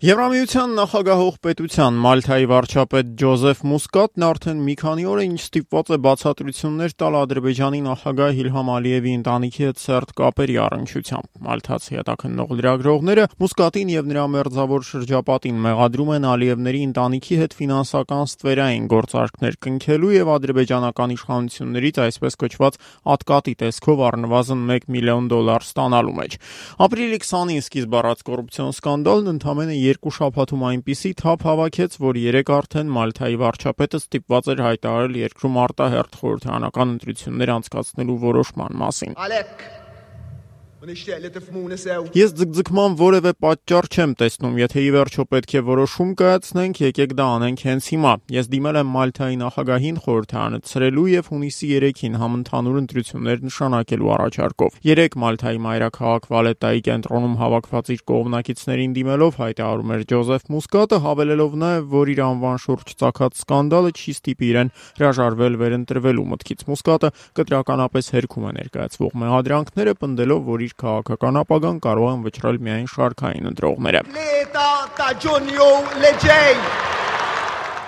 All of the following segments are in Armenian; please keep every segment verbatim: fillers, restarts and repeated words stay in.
Եվրամիության նախագահող պետության Մալթայի վարչապետ Ջոզեֆ Մուսկատն արդեն մի քանի օր է ինչ ստիպված է բացատրություններ տալ Ադրբեջանի նախագահ Իլհամ Ալիևի ընտանիքի հետ սերտ կապերի առնչությամբ։ Մալթացի հետաքննող լրագրողները Մուսկատին եւ նրա մերձավոր շրջապատին մեղադրում են Ալիևների ընտանիքի հետ ֆինանսական ստվերային գործարքներ կնքելու եւ ադրբեջանական իշխանություններից այսպես կոչված ատկատի տեսքով առնվազն մեկ միլիոն դոլար ստանալու մեջ։ Ապրիլի քսանին սկիզբ առած կոռուպցիոն սկանդալն ընդամենը երկու շաբաթում այնպիսի թափ հավաքեց, որ երեք արդեն Մալթայի վարչապետը ստիպված էր հայտարարել երկրում արտահերթ խորհրդարանական ընտրություններ անցկացնելու որոշման մասին։ Ես ձգձգման որևէ պատճառ չեմ տեսնում, եթե ի վերջո պետք է որոշում կայացնենք, եկեք դա անենք հենց հիմա։ Ես դիմել եմ Մալթայի նախագահին խորհրդարանը ցրելու եւ հունիսի երեքին համընդհանուր ընտրություններ նշանակելու առաջարկով։ Երեք Մալթայի մայրաքաղաք Վալետայի կենտրոնում հավաքված իր կողմնակիցներին դիմելով հայտարարում էր Ջոզեֆ Մուսկատը, հավելելով նաեւ, որ իր անվան շուրջ ծագած սկանդալը չի ստիպի իրեն հրաժարվել վերընտրվելու մտքից։ Մուսկատը կտրականապես հերքում է ներկայացվող մեղադրանքները, պնդելով, որ իր քաղաքական ապագան կարող են վճռել միայն շարքային ընտրողները։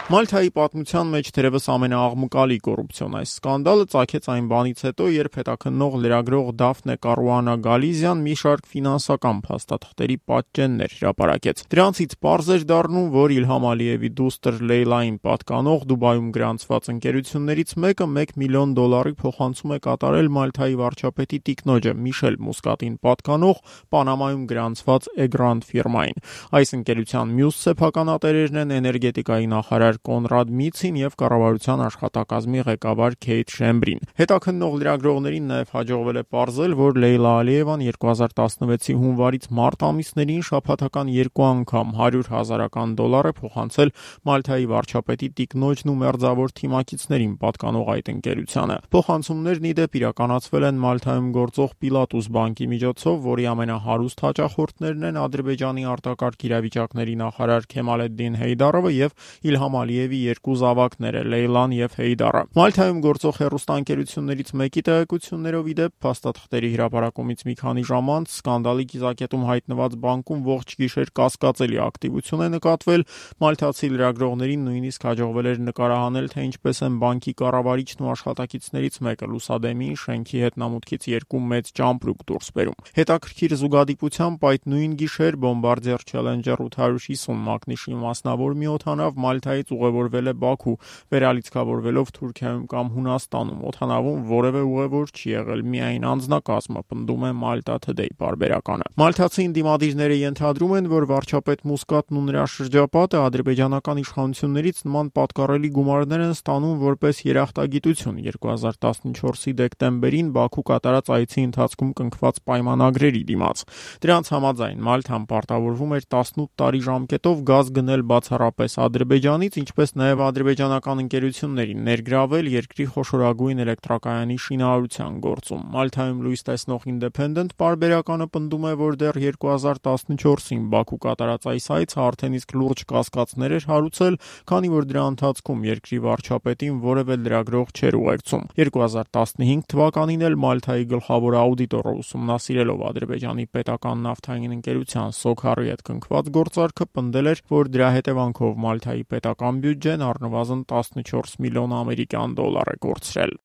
Մալթայի պատմության մեջ թերևս ամենաաղմկալի կոռուպցիոն այս սկանդալը ծագեց այն բանից հետո, երբ հետաքննող լրագրող Դաֆնե Կարուանա Գալիզիան մի շարք ֆինանսական փաստաթղթերի պատճեններ հրապարակեց։ Դրանցից պարզ էր դառնում, որ Իլհամ Ալիևի դուստր Լեյլային պատկանող Դուբայում գրանցված ընկերություններից մեկը մեկ միլիոն դոլարի փոխանցում է կատարել Մալթայի վարչապետի տիկնոջը Միշել Մուսկատին պատկանող Պանամայում գրանցված Էգրանդ ֆիրմային։ Այս ընկերության մյուս սեփականատերերն են էներգետիկայի նախարար Կոնրադ Միցին եւ կառավարության աշխատակազմի ղեկավար Քեյթ Շեմբրին։ Հետաքննող լրագրողներին նաեւ հաջողվել է պարզել, որ Լեյլա Ալիևան երկու հազար տասնվեցի հունվարից մարտ ամիսներին շաբաթական երկու անգամ հարյուր հազարական դոլար է փոխանցել Մալթայի վարչապետի տիկնոջն ու մերձավոր թիմակիցներին պատկանող այդ ընկերությանը։ Փոխանցումներն ի դեպ իրականացվել են Մալթայում գործող Պիլատուս բանկի միջոցով, որի ամենահարուստ հաճախորդներն են Ադրբեջանի արտակարգ իրավիճակների նախարար Քեմալեդդին Հեյդարովը եւ Իլհամ Ալիևի երկու զավակները Լեյլան եւ Հեյդարը։ Մալթայում գործող հեռուստաընկերություններից մեկի տեղեկություններով ի դեպ փաստաթղթերի հրապարակումից մի քանի ժամ անց սկանդալի կիզակետում հայտնված բանկում ողջ գիշեր կասկածելի ակտիվություն է նկատվել։ Մալթացի լրագրողներին նույնիսկ հաջողվել էր նկարահանել, թե ինչպես են բանկի կառավարիչն ու աշխատակիցներից մեկը լուսադեմին շենքի հետնամուտքից երկու մեծ ճամպրուկ դուրս բերում։ Հետաքրքիր զուգադիպությամբ այդ նույն գիշեր Bombardier Challenger ութ հարյուր հիսուն մակնիշի մասնավոր մի օդանավ Մալթայից ուղևորվել է Բաքու, վերալիցքավորվելով Թուրքիայում կամ Հունաստանում։ Օդանավում որևէ ուղևոր չի եղել, միայն անձնակազմը, պնդում է Malta Today պարբերականը։ Մալթացի ընդդիմադիրները ենթադրում են, որ վարչապետ Մուսկատն ու նրա շրջապատը ադրբեջանական իշխանություններից նման պատկառելի գումարներ են ստանում որպես երախտագիտություն երկու հազար տասնչորսի դեկտեմբերին Բաքու կատարած այցի ընթացքում կնքված պայմանագրերի դիմաց։ Դրանց համաձայն Մալթան պարտավորվում էր տասնութ տարի ժամկետով գազ գնել բացառապես Ադրբեջանից, ինչպես նաև ադրբեջանական ընկերություններին ներգրավել երկրի խոշորագույն էլեկտրակայանի շինարարության գործում։ Մալթայում լույս տեսնող Independent պարբերականը պնդում է, որ դեռ երկու հազար տասնչորսին Բաքու կատարած այս այցը արդեն իսկ լուրջ կասկածներ էր հարուցել, քանի որ դրա ընթացքում երկրի վարչապետին որևէ լրագրող չէր ուղեկցում։ երկու հազար տասնհինգ թվականին էլ Մալթայի գլխավոր աուդիտորը ուսումնասիրելով Ադրբեջանի պետական նավթային ընկերության Սոքարի հետ կնքված գործարքը պնդել էր, որ դրա հետևանքով Մալթայի պետական բյուջեն առնվազն տասնչորս միլիոն ամերիկյան դոլար է կորցրել։